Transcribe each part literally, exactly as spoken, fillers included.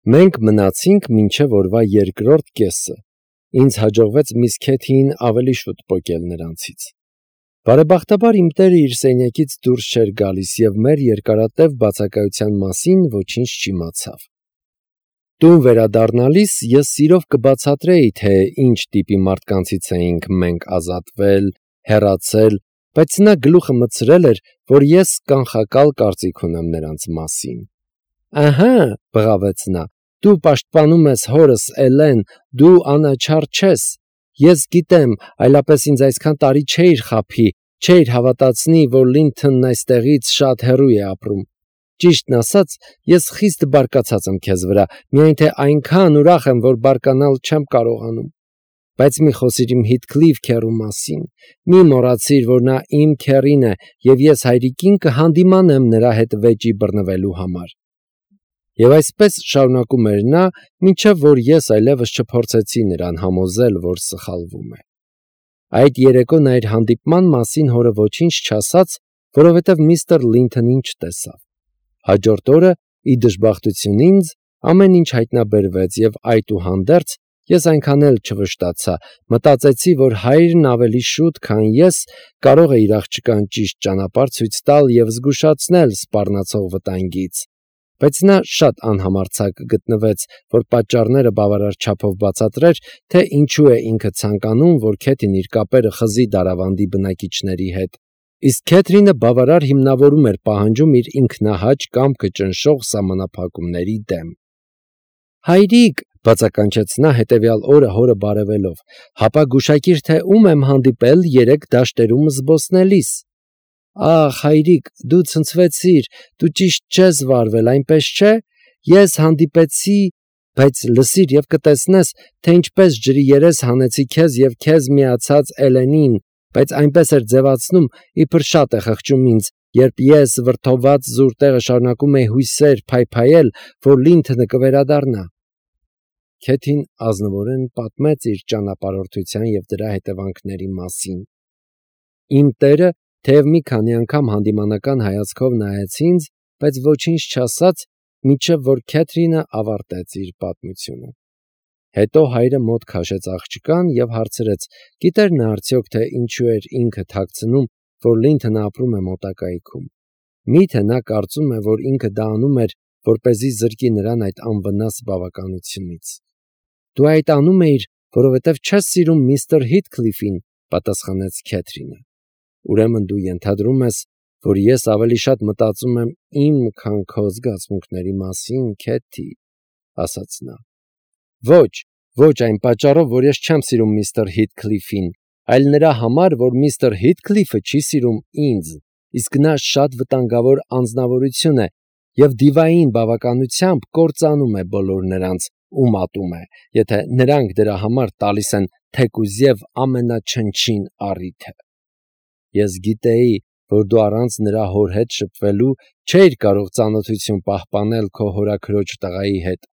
Մենք մնացինք մինչև օրվա երկրորդ կեսը, ինձ հաջողվեց միս Քեթիին ավելի շուտ պոկել նրանցից։ Բարեբախտաբար իմ տերը իր սենյակից դուրս չէր գալիս և մեր երկարատև բացակայության մասին ոչինչ չիմացավ։ Տուն վերադառնալիս ես սիրով կբացատրեի, թե ինչ տիպի մարդկանցից էինք մենք ազատվել, հեռացել, բայց նա գլուխը մտցրել էր, որ ես կանխակալ կարծիք ունեմ նրանց մասին։ Ահա, բղավեց նա, դու պաշտպանում ես հորս Էլեն, դու անաչառ չես։ Ես գիտեմ, այլապես ինձ այսքան տարի չէիր խաբի, չէիր հավատացնի, որ Լինթոնն այստեղից շատ հեռու է ապրում։ Ճիշտն ասած, ես խիստ բարկացած եմ քեզ վրա, միայն թե այնքան ուրախ եմ, որ բարկանալ չեմ կարողանում։ Բայց մի խոսիր իմ Հիթքլիֆ քեռու մասին, մի մոռացիր, որ նա իմ քեռին է, և ես հայրիկին կհանդիմանեմ նրա հետ վեճի բռնվելու համար։ Եվ այսպես շարունակում էր նա, մինչև որ ես այլևս չփորձեցի նրան համոզել, որ սխալվում է։ Այդ երեկո նա իր հանդիպման մասին հորը ոչինչ չասաց, որովհետև միստր Լինթոնին չտեսավ։ Հաջորդ օրը, ի դժբախտություն ինձ, ամեն ինչ հայտնաբերվեց և այդուհանդերձ ես այնքան էլ չվշտացա, մտածեցի, որ հայրն ավելի շուտ, քան ես, կարող է իր աղջկան ճիշտ ճանապարհ ցույց տալ և զգուշացնել սպառնացող վտանգից, բայց նա շատ անհամարձակ գտնվեց, որ պատճառները բավարար չափով բացատրեր, թե ինչու է ինքը ցանկանում, որ Քեթին իր կապերը խզի Դարավանդի բնակիչների հետ, իսկ Քեթրինը բավարար հիմնավորում էր պահանջում իր ինքնահաճ կամքը ճնշող սահմանափակումների դեմ։ Հայրիկ, բացականչեց նա հետևյալ օրը հորը բարևելով, հապա գուշակիր, թե ում եմ հանդիպել երեկ դաշտերում զբոսնելիս։ Ախ, հայրիկ, դու ցնցվեցիր, դու ճիշտ չես վարվել, այնպես չէ, ես հանդիպեցի, բայց լսիր և կտեսնես, թե ինչպես ջրի երես հանեցի քեզ և քեզ միացած Էլենին, բայց այնպես էր ձևացնում, իբր շատ է խղճում ինձ, երբ ես վրդովված զուր տեղը շարունակում էի հույսեր փայփայել, որ Լինթոնը կվերադառնա։ Քեթին ազնվորեն պատմեց իր ճանապարհորդության և դրա հետևանքների մասին։ Իմ տերը թեև մի քանի անգամ հանդիմանական հայացքով նայեց ինձ, բայց ոչինչ չասաց, մինչև որ Քեթրինը ավարտեց իր պատմությունը։ Հետո հայրը մոտ քաշեց աղջկան և հարցրեց, գիտեր նա արդյոք, թե ինչու էր ինքը թաքցնում, որ Լինթոնը ապրում է մոտակայքում։ Մի՞թե նա կարծում է, որ ինքը դա անում էր, որպեսզի զրկի նրան այդ անվնաս բավականությունից։ Դու այդ անում էիր, որովհետև չես սիրում միստր Հիթքլիֆին, պատասխանեց Քեթրինը։ Ուրեմն դու ենթադրում ես, որ ես ավելի շատ մտածում եմ իմ, քան քո զգացմունքների մասին, Քեթի, ասաց նա։ Ոչ, ոչ այն պատճառով, որ ես չեմ սիրում միստր Հիթքլիֆին, այլ նրա համար, որ միստր Հիթքլիֆը չի սիրում ինձ, իսկ նա շատ վտանգավոր անձնավորություն է և դիվային բավականությամբ կործանում է բոլոր նրանց, ում ատում է, եթե նրանք դրա համար տալիս են թեկուզև ամենաչնչին առիթը։ Ես գիտեի, որ դու առանց նրա հոր հետ շփվելու չէիր կարող ծանոթություն պահպանել քո հորաքրոջ տղայի հետ,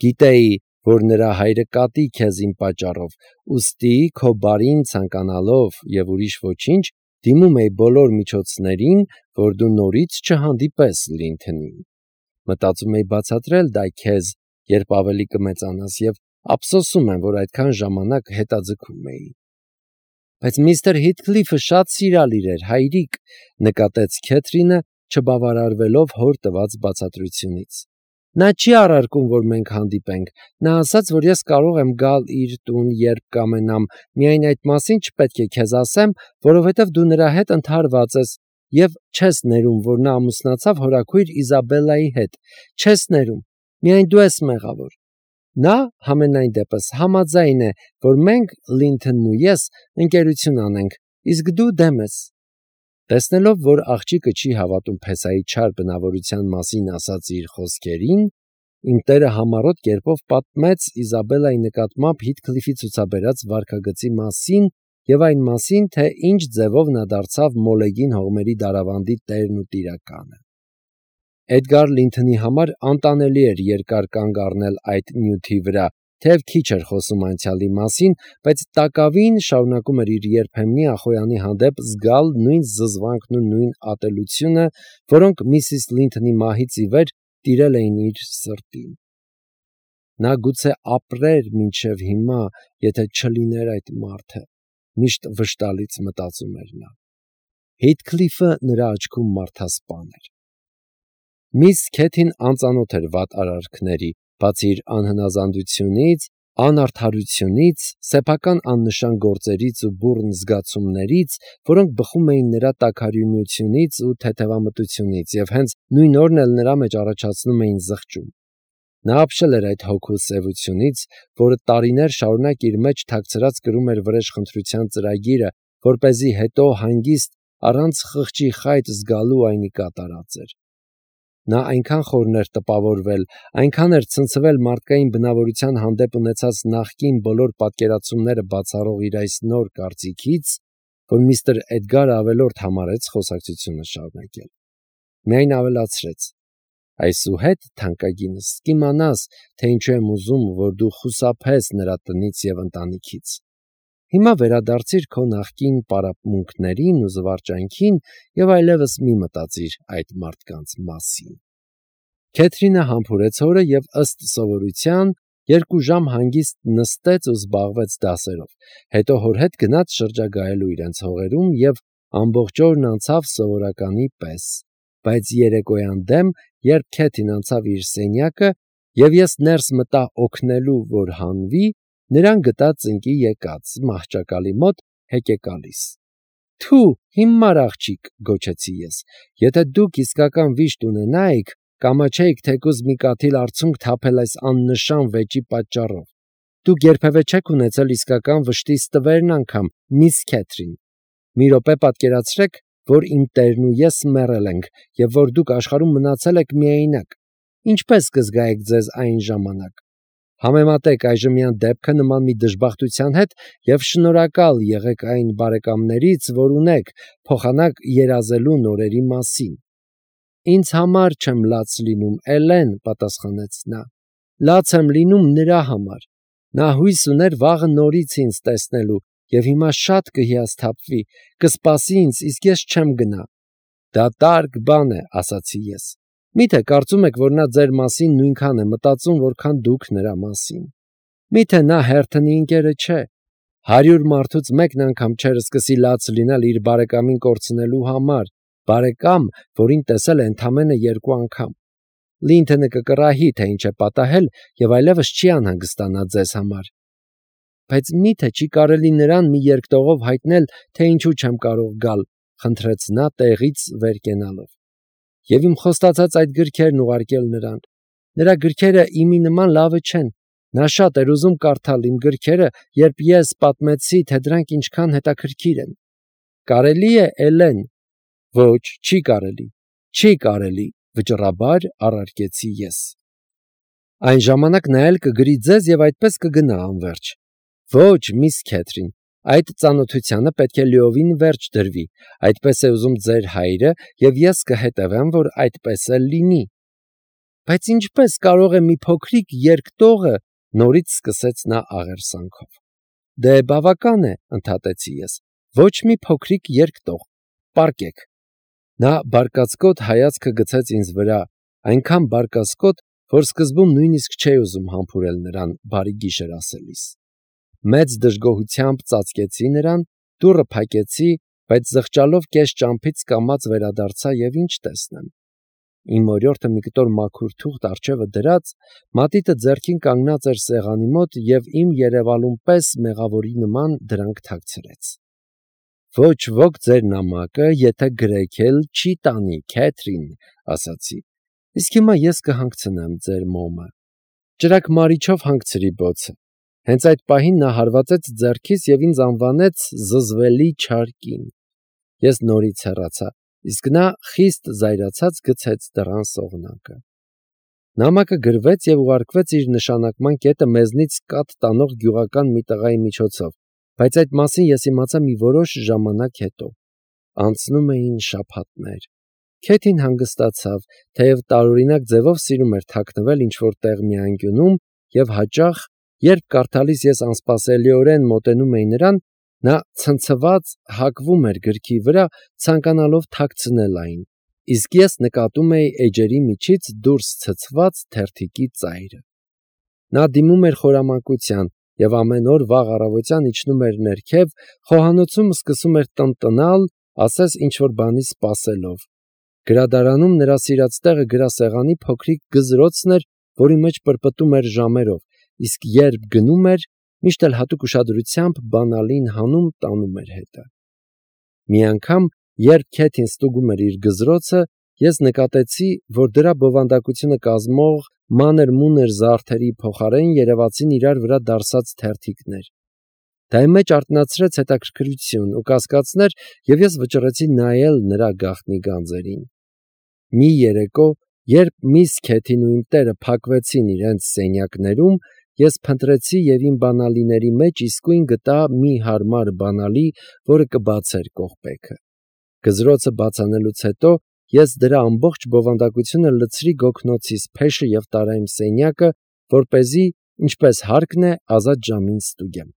գիտեի, որ նրա հայրը կատի քեզ իմ պատճառով, ուստի քո բարին ցանկանալով և ուրիշ ոչինչ, դիմում էի բոլոր միջոցներին, որ դու նորից չհանդիպես Լինթոնին։ Մտածում էի բացատրել դա քեզ, երբ ավելի կմեծանաս, և ափսոսում եմ, որ այդքան ժամանակ հետաձգում էի։ Բայց միստր Հիթքլիֆը շատ սիրալիր էր, հայրիկ, նկատեց Քեթրինը, չբավարարվելով հոր տված բացատրությունից։ Նա չի առարկում, որ մենք հանդիպենք, նա ասաց, որ ես կարող եմ գալ իր տուն, երբ կամենամ, միայն այդ մասին չպետք է քեզ ասեմ, որովհետև դու նրա հետ ընդհարված ես և չես ներում, որ նա ամուսնացավ հորաքույր Իզաբելլայի հետ, չես ներում, միայն դու ես մեղավոր։ Նա, համենայն դեպս, համաձայն է, որ մենք, Լինթոնն ու ես, ընկերություն անենք, իսկ դու դեմ ես։ Տեսնելով, որ աղջիկը չի հավատում փեսայի չար բնավորության մասին ասած իր խոսքերին, իմ տերը համառոտ կերպով պատմեց Իզաբելլայի նկատմամբ Հիթքլիֆի ցուցաբերած վարքագծի մասին և այն մասին, թե ինչ ձևով նա դարձավ Մոլեգին հողմերի Դարավանդի տերն ու տիրակալը։ Էդգար Լինթոնի համար անտանելի էր երկար կանգ առնել այդ նյութի վրա, թեև քիչ էր խոսում անցյալի մասին, բայց տակավին շարունակում էր իր երբեմնի Ախոյանի հանդեպ զգալ նույն զզվանքն ու նույն ատելությունը, որոնք միսիս Լինթոնի մահից ի վեր տիրել էին իր սրտին։ Նա գուցե ապրեր մինչև հիմա, եթե չլիներ այդ մարդը, միշտ վշտալից մտածում էր նա։ Հեյթքլիֆը նրա աչքում մարդասպան էր։ Միս Քեթին անծանոթ էր վատ արարքների, բացի իր անհնազանդությունից, անարդարությունից, սեփական աննշան գործերից ու բուռն զգացումներից, որոնք բխում էին նրա տաքարյունությունից ու թեթևամտությունից և հենց նույն օրն էլ նրա մեջ առաջացնում էին զղջում։ Նա ապշել էր այդ հոգու սևությունից, որը տարիներ շարունակ իր մեջ թաքցրած կրում էր վրեժխնդրության ծրագիրը, որպեսզի հետո հանգիստ առանց խղճի խայտ զգալու այնի կատարած էր։ Նա այնքան խորն էր տպավորվել, այնքան էր ցնցվել մարդկային բնավորության հանդեպ ունեցած նախկին բոլոր պատկերացումները բացառող իր այս նոր կարծիքից, որ միստր Էդգարը ավելորդ համարեց խոսակցությունը շարունակել։ Միայն ավելացրեց. այսուհետ, թանկագինս, կիմանաս, թե ինչու եմ ուզում, որ դու խուսափես նրա տնից և ընտանիքից։ Հիմա վերադարձիր քո նախկին պարապմունքներին ու զվարճանքին և այլևս մի մտածիր այդ մարդկանց մասին։ Քեթրինը համբուրեց հորը և ըստ սովորության երկու ժամ հանգիստ նստեց ու զբաղվեց դասերով, հետո հոր հետ գնաց շրջագայելու իրենց հողերում և ամբողջ օրն անցավ սովորականի պես, բայց երեկոյան դեմ, երբ Քեթին անցավ իր սենյակը և ես ներս մտա օգնելու, որ հանվի, նրան գտա ծնկի եկած, մահճակալի մոտ հեկեկալիս։ «Թու, հիմար աղջիկ», գոչեցի ես, «եթե դուք իսկական վիշտ ունենայիք, կամաչեիք թեկուզ մի կաթիլ արցունք թափել այս աննշան վեճի պատճառով։ Դուք երբևէ չեք ունեցել իսկական վշտի ստվերն անգամ, միս Քեթրին։ Մի րոպե պատկերացրեք, որ իմ տերն ու ես մեռել ենք, և որ դուք աշխարհում մնացել եք միայնակ։ Ինչպե՞ս կզգայիք ձեզ այն ժամանակ։ Համեմատեք այժմյան դեպքը նման մի դժբախտության հետ և շնորհակալ եղեք այն բարեկամներից, որ ունեք, փոխանակ երազելու նորերի մասին»։ «Ինձ համար չեմ լաց լինում, Էլեն», պատասխանեց նա։ «Լաց եմ լինում նրա համար։ Նա հույս ուներ վաղը նորից ինձ տեսնելու և հիմա շատ կհիասթափվի, կսպասի ինձ, իսկ ես չեմ գնա»։ «Դատարկ բան է», ասացի ես։ «Մի՞թե կարծում եք, որ նա ձեր մասին նույնքան է մտածում, որքան դուք նրա մասին։ Մի՞թե նա հերթնի ընկերը չէ։ Հարյուր մարդուց մեկն անգամ չէր սկսի լաց լինել իր բարեկամին կորցնելու համար, բարեկամ, որին տեսել է ընդամենը երկու անգամ։ Լինթոնը կկռահի, թե ինչ է պատահել և այլևս չի անհանգստանա ձեզ համար։ Բայց մի՞թե չի կարելի նրան մի երկտողով հայտնել, թե ինչու չեմ կարող գալ», խնդրեց նա տեղից վեր կենալով։ «Եվ իմ խոստացած այդ գրքերն ուղարկել նրան։ Նրա գրքերը իմի նման լավը չեն։ Նա շատ էր ուզում կարդալ իմ գրքերը, երբ ես պատմեցի, թե դրանք ինչքան հետաքրքիր են։ Կարելի՞ է, Էլեն։ Ոչ, չի կարելի, չի կարելի, վճռաբար առարկեցի ես։ Այն ժամանակ նա էլ կգրի ձեզ և այդպես կգնա անվերջ։ Ոչ, միս Քեթրին, այդ ծանոթությանը պետք է լիովին վերջ դրվի, այդպես է ուզում ձեր հայրը, և ես կհետևեմ, որ այդպես էլ լինի։ Բայց ինչպե՞ս կարող է մի փոքրիկ երկտողը, նորից սկսեց նա աղերսանքով։ Դե բավական է, ընդհատեցի ես, ոչ մի փոքրիկ երկտող, պառկեք։ Նա բարկացկոտ հայացքը գցեց ինձ վրա, այնքան բարկացկոտ, որ սկզբում նույնիսկ չէի ուզում համբուրել նրան բարի գիշեր ասելիս։ Մեծ դժգոհությամբ ծածկեցի նրան, դուռը փակեցի, բայց զղջալով կես ճամփից կամաց վերադարձա և ինչ տեսնեմ։ Իմ օրիորդը մի կտոր մաքուր թուղթ առջևը դրած, մատիտը ձեռքին կանգնած էր սեղանի մոտ և իմ երևալուն պես մեղավորի նման դրանք թաքցրեց։ «Ոչ ոք ձեր նամակը, եթե գրեք էլ, չի տանի, Քեթրին», ասացի։ «Իսկ հիմա ես կհանգցնեմ ձեր մոմը»։ Ճրագ-մարիչով հանգցրի բոցը։ Հենց այդ պահին նա հարվածեց ձեռքիս և ինձ անվանեց զզվելի չար կին։ Ես նորից հեռացա, իսկ նա խիստ զայրացած գցեց դռան սողնակը։ Նամակը գրվեց և ուղարկվեց իր նշանակման կետը մեզնից կաթ տանող գյուղական մի տղայի միջոցով, բայց այդ մասին ես իմացա մի որոշ ժամանակ հետո։ Անցնում էին շաբաթներ։ Քեթին հանգստացավ, թեև տարօրինակ ձևով սիրում էր թաքնվել ինչ-որ տեղ մի անկյունում և հաճախ, երբ կարդալիս ես անսպասելիորեն մոտենում էի նրան, նա ցնցված հակվում էր գրքի վրա, ցանկանալով թաքցնել այն, իսկ ես նկատում էի էջերի միջից դուրս ցցված թերթիկի ծայրը։ Նա դիմում էր խորամանկության և ամեն օր վաղ առավոտյան իջնում էր ներքև, խոհանոցում սկսում էր տնտնալ, ասես ինչ-որ բանի սպասելով։ Գրադարանում նրա սիրած տեղը գրասեղանի փոքրիկ գզրոցն էր, որի մեջ պրպտում էր ժամերով, իսկ երբ գնում էր, միշտ էլ հատուկ ուշադրությամբ բանալին հանում տանում էր հետը։ Մի անգամ, երբ Քեթին ստուգում էր իր գզրոցը, ես նկատեցի, որ դրա բովանդակությունը կազմող մանր-մունր զարդերի փոխարեն երևացին իրար վրա դարսած թերթիկներ։ Դա իմ մեջ արթնացրեց հետաքրքրություն ու կասկածներ, և ես վճռեցի նայել նրա գաղտնի գանձերին։ Մի երեկո, երբ միս Քեթին ու իմ տերը փակվեցին իրենց սենյակներում, ես փնտրեցի և իմ բանալիների մեջ իսկույն գտա մի հարմար բանալի, որը կբացեր կողպեքը։ Գզրոցը բացանելուց հետո ես դրա ամբողջ բովանդակությունը լցրի գոգնոցիս փեշը և տարա իմ սենյակը, որպեսզի, ինչպես հարկն է, ազատ ժամին ստուգեմ։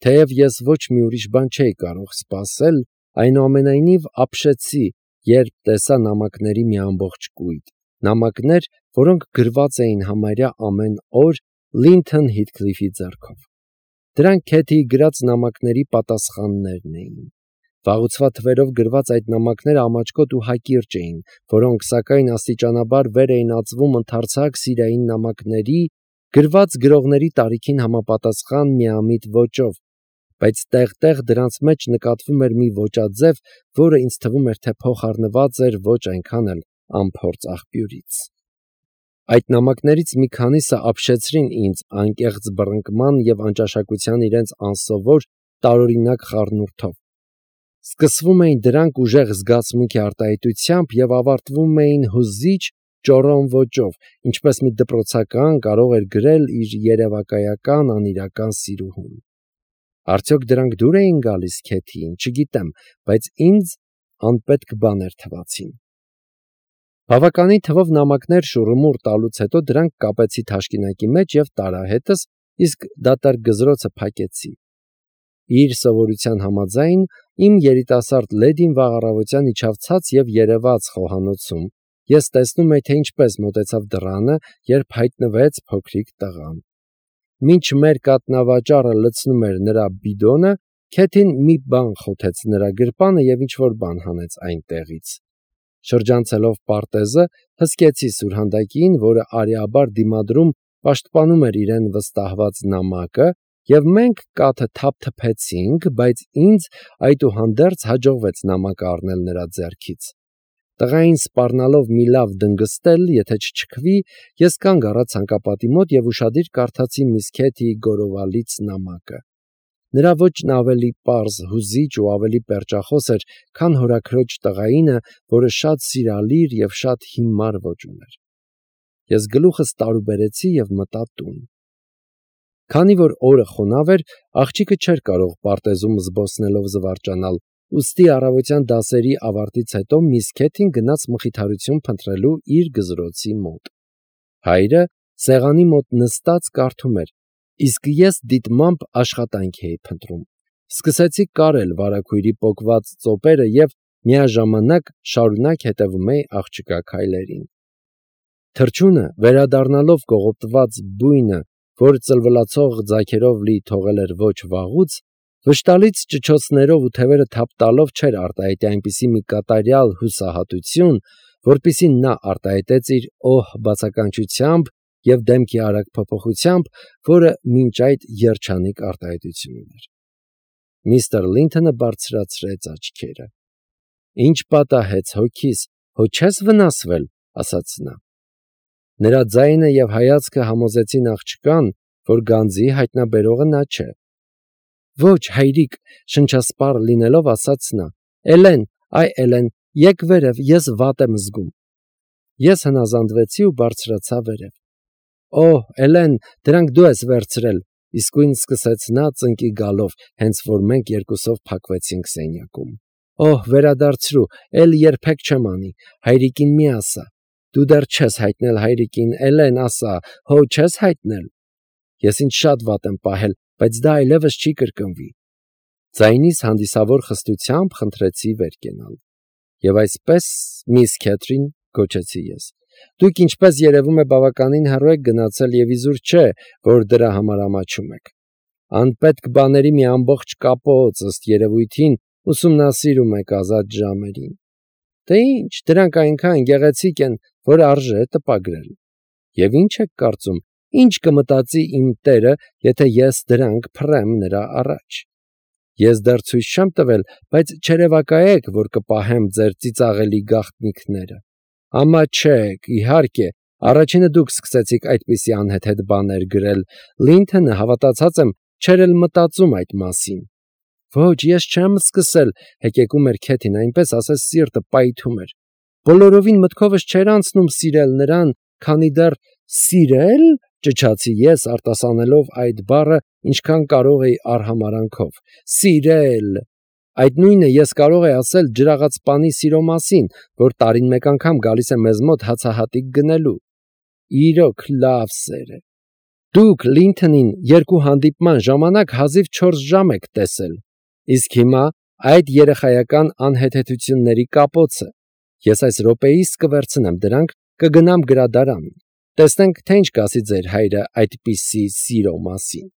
Թեև ես ոչ մի ուրիշ բան չէի կարող սպասել, այնուամենայնիվ ապշեցի, երբ տեսա նամակների մի ամբողջ կույտ, նամակներ, որոնք գրված էին համարյա ամեն օր Լինթոն Հիթքլիֆի ձեռքով։ Դրանք Քեթիի գրած նամակների պատասխաններն էին։ Վաղուցվա թվերով գրված այդ նամակները ամաչկոտ ու հակիրճ էին, որոնք սակայն աստիճանաբար վեր էին ածվում ընդարձակ սիրային նամակների, գրված գրողների տարիքին համապատասխան միամիտ ոճով, բայց տեղ-տեղ դրանց մեջ նկատվում էր մի ոճաձև, որը ինձ թվում էր, թե փոխառնված էր ոչ այնքան էլ անփորձ աղբյուրից։ Այդ նամակներից մի քանիսը ապշեցրին ինձ անկեղծ բռնկման և անճաշակության իրենց անսովոր, տարօրինակ խառնուրդով։ Սկսվում էին դրանք ուժեղ զգացմունքի արտահայտությամբ և ավարտվում էին հուզիչ, ճոռոմ ոճով, ինչպես մի դպրոցական կարող էր գրել իր երևակայական անիրական սիրուհուն։ Արդյոք դրանք դուր էին գալիս Քեթիին, չգիտեմ, բայց ինձ անպետք բաներ թվացին։ Բավականին թվով նամակներ շուռումուռ տալուց հետո դրանք կապեցի թաշկինակի մեջ և տարա հետս, իսկ դատարկ գզրոցը փակեցի։ Իր սովորության համաձայն, իմ երիտասարդ լեդին վաղ առավոտյան իջավ ցած և երևաց խոհանոցում, ես տեսնում էի, թե ինչպես մոտեցավ դռանը, երբ հայտնվեց փոքրիկ տղան։ Մինչ մեր կաթնավաճառը լցնում էր նրա բիդոնը, Քեթին մի բան խոթեց նրա գրպանը և ինչ-որ բան հանեց այնտեղից։ Շրջանցելով պարտեզը, հսկեցի սուրհանդակին, որը արիաբար դիմադրում պաշտպանում էր իրեն վստահված նամակը, և մենք կաթը թափթփեցինք, բայց ինձ այդուհանդերձ հաջողվեց նամակը առնել նրա ձեռքից։ Տղային սպառնալով մի լավ դնգստել, եթե չչքվի, ես կանգ առա ցանկապատի մոտ և ուշադիր կարդացի միս Քեթիի գորովալից նամակը։ Նրա ոճն ավելի պարզ, հուզիչ ու ավելի պերճախոս էր, քան հորաքրոջ տղայինը, որը շատ սիրալիր և շատ հիմար ոճ ուներ։ Ես գլուխս տարուբերեցի և մտա տուն։ Քանի որ օրը խոնավ էր, աղջիկը չէր կարող պարտեզում զբոսնելով զվարճանալ, ուստի առավոտյան դասերի ավարտից հետո միս Քեթին գնաց մխիթարություն փնտրելու իր գզրոցի մոտ։ Հայրը սեղանի մոտ նստած կարդում էր, իսկ ես դիտմամբ աշխատանք էի փնտրում։ Սկսեցի կարել վարագույրի պոկված ծոպերը և միաժամանակ շարունակ հետևում էի աղջկա քայլերին։ Թռչունը, վերադառնալով կողոպտված բույնը, որ ծլվլացող ձագերով լի թողել էր ոչ վաղուց, վշտալից ճչոցներով ու թևերը թափ տալով չէր արտահայտի այնպիսի մի կատարյալ հուսահատություն, որպիսի նա արտահայտեց իր օհ բացականչությամբ և դեմքի արագ փոփոխությամբ, որը մինչ այդ երջանիկ արտահայտություն ուներ։ Միստր Լինթոնը բարձրացրեց աչքերը։ «Ինչ պատահեց հոգիս, հո չես վնասվել», ասաց նա։ Նրա ձայնը և հայացքը համոզեցին աղջկան, որ գանձի հայտնաբերողը նա չէ։ «Ոչ, հայրիկ», շնչասպառ լինելով ասաց նա։ «Էլեն, այ Էլեն, եկ վերև, ես վատ եմ զգում»։ Ես հնազանդվեցի ու բարձրացա վերև։ «Օհ, Էլեն, դրանք դու ես վերցրել», իսկույն սկսեց նա ծնկի գալով, հենց որ մենք երկուսով փակվեցինք սենյակում։ «Օհ, վերադարձրու, էլ երբեք չեմ անի, հայրիկին մի ասա։ Դու դեռ չես հայտնել հայրիկին, Էլեն, ասա, հո չես հայտնել։ Ես ինձ շատ վատ եմ պահել, բայց դա այլևս չի կրկնվի»։ Ձայնիս հանդիսավոր խստությամբ խնդրեցի վեր կենալ։ «Եվ այսպես, միս Քեթրին», գոչեցի ես, Դուք ինչպես երևում է բավականին հեռու եք գնացել եւ իզուր չէ, որ դրա համար ամաչում եք։ Անպետք բաների մի ամբողջ կապոց ըստ երևույթին ուսումնասիրում եք ազատ ժամերին։ Դե ինչ, դրանք այնքան գեղեցիկ են, որ արժե տպագրել։ Եվ ինչ եք կարծում, ինչ կմտածի իմ տերը, եթե ես դրանք փռեմ նրա առաջ։ Ես դեռ ցույց չեմ տվել, բայց չերևակայեք, որ կպահեմ ձեր ծիծաղելի գաղտնիքները։ Ամաչեք, իհարկե, առաջինը դուք սկսեցիք այդպիսի անհեթեթ բաներ գրել, Լինթոնը հավատացած եմ, չէր էլ մտածում այդ մասին։ Ոչ, ես չեմ սկսել, հեկեկում էր Քեթին, այնպես ասես սիրտը պայթում էր։ Բոլորովին մտքովս չէր անցնում սիրել նրան, քանի դեռ սիրել, ճչացի ես, արտասանելով այդ բառը, ինչքան կարող էի արհամարանքով։ Սիրել։ Այդ նույնը ես կարող էի ասել ջրաղացպանի սիրո մասին, որ տարին մեկ անգամ գալիս է մեզ մոտ հացահատիկ գնելու։ Իրոք լավ սեր է։ Դուք Լինթոնին երկու հանդիպման ժամանակ հազիվ չորս ժամ եք տեսել։ Իսկ հիմա այդ երեխայական անհեթեթությունների կապոցը։ Ես այս րոպեիս կվերցնեմ դրանք, կգնամ գրադարան։ Տեսնենք, թե ինչ կասի ձեր հայրը այդպիսի սիրո մասին։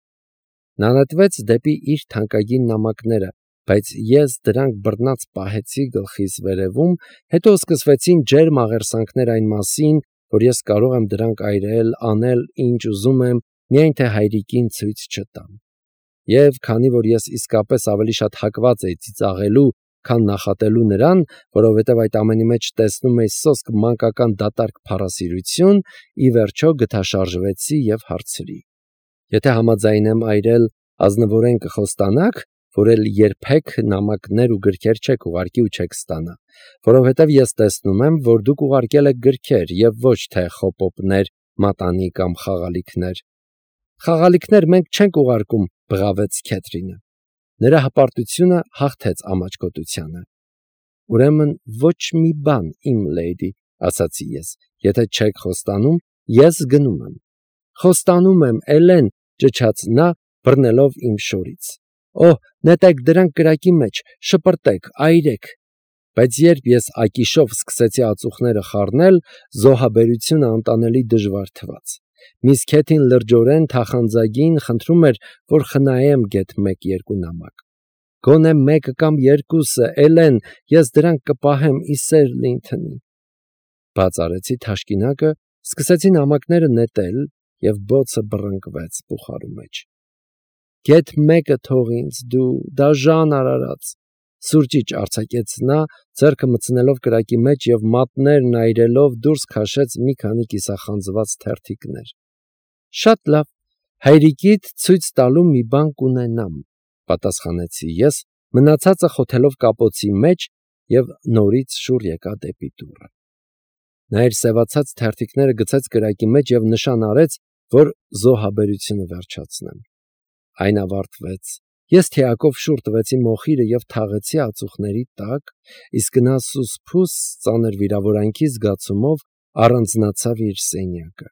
Նա նետվեց դեպի իր թանկագին նամակները, բայց ես դրանք բռնած պահեցի գլխիս վերևում, հետո սկսվեցին ջերմ աղերսանքներ այն մասին, որ ես կարող եմ դրանք այրել, անել, ինչ ուզում եմ, միայն թե հայրիկին ցույց չտամ։ Եվ քանի որ ես իսկապես ավելի շատ հակված էի ծիծաղելու, քան նախատելու նրան, որովհետև այդ ամենի մեջ տեսնում էի սոսկ մանկական դատարկ փառասիրություն, ի վերջո գթաշարժվեցի եւ հարցրի. Եթե համաձայն եմ այրել, ազնվորեն կխոստանաք, որ էլ երբեք նամակներ ու գրքեր չեք ուղարկի ու չեք ստանա, որովհետև ես տեսնում եմ, որ դուք ուղարկել եք գրքեր եւ ոչ թե խոպոպներ, մատանի կամ խաղալիքներ։ Խաղալիքներ մենք չենք ուղարկում, բղավեց Քեթրինը։ Նրա հպարտությունը հաղթեց ամաչկոտությանը։ Ուրեմն ոչ մի բան, իմ լեյդի, ասացի ես, եթե չեք խոստանում, ես գնում եմ։ Խոստանում եմ, Էլեն, ճչաց նա, բռնելով իմ շորից։ Օհ, նետեք դրանք կրակի մեջ, շպրտեք, այրեք։ Բայց երբ ես ակիշով սկսեցի ածուխները խառնել, զոհաբերությունը անտանելի դժվար թվաց։ Միս Քեթին լրջորեն թախանձագին խնդրում էր, որ խնայեմ գեթ մեկ-երկու նամակ։ Գոնե մեկը կամ երկուսը, Էլեն, ես դրանք կպահեմ ի սեր Լինթոնի։ Բաց արեցի թաշկինակը, սկսեցի նամակները նետել եւ բոցը բռնկվեց բուխարու մեջ։ Գեթ մեկը թող ինձ, դու դաժան արարած, սուրճիչ արձակեց նա, ձեռքը մտցնելով կրակի մեջ եւ մատներն այրելով դուրս քաշեց մի քանի կիսախանձված թերթիկներ։ Շատ լավ, հայրիկիդ ցույց տալու մի բան կունենամ, պատասխանեցի ես, մնացածը խոթելով կապոցի մեջ եւ նորից շուռ եկա դեպի դուռը։ Նա իր սևացած թերթիկները գցեց կրակի մեջ եւ նշան արեց, որ զոհաբերությունը վերջացնեմ։ Այն ավարտվեց։ Ես թիակով շուռ տվեցի մոխիրը եւ թաղեցի ածուխների տակ, իսկ նա սուսփուս ծանր վիրավորանքի զգացումով առանձնացավ իր սենյակը։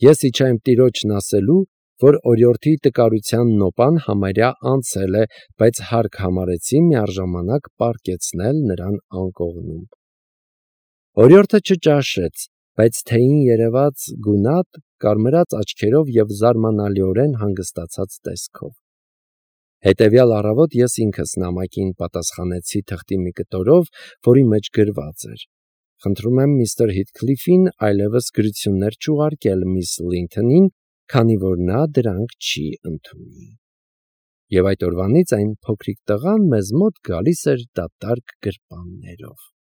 Ես իջա իմ տիրոջն ասելու, որ օրիորդի տկարության նոպան համարյա անցել է, բայց հարկ համարեցի միառժամանակ պառկեցնել նրան անկողնում։ Օրիորդը չճաշեց, բայց թեյին երևաց գունատ, կարմրած աչքերով եւ զարմանալիորեն հանգստացած տեսքով։ Հետևյալ առավոտ ես ինքս նամակին պատասխանեցի թղթի մի կտորով, որի մեջ գրված էր. Խնդրում եմ միստր Հիթքլիֆին այլևս գրություններ չուղարկել միս Լինթոնին, քանի որ նա դրանք չի ընդունի։ Եվ այդ օրվանից այն փոքրիկ տղան մեզ մոտ գալիս էր դատարկ գրպաններով։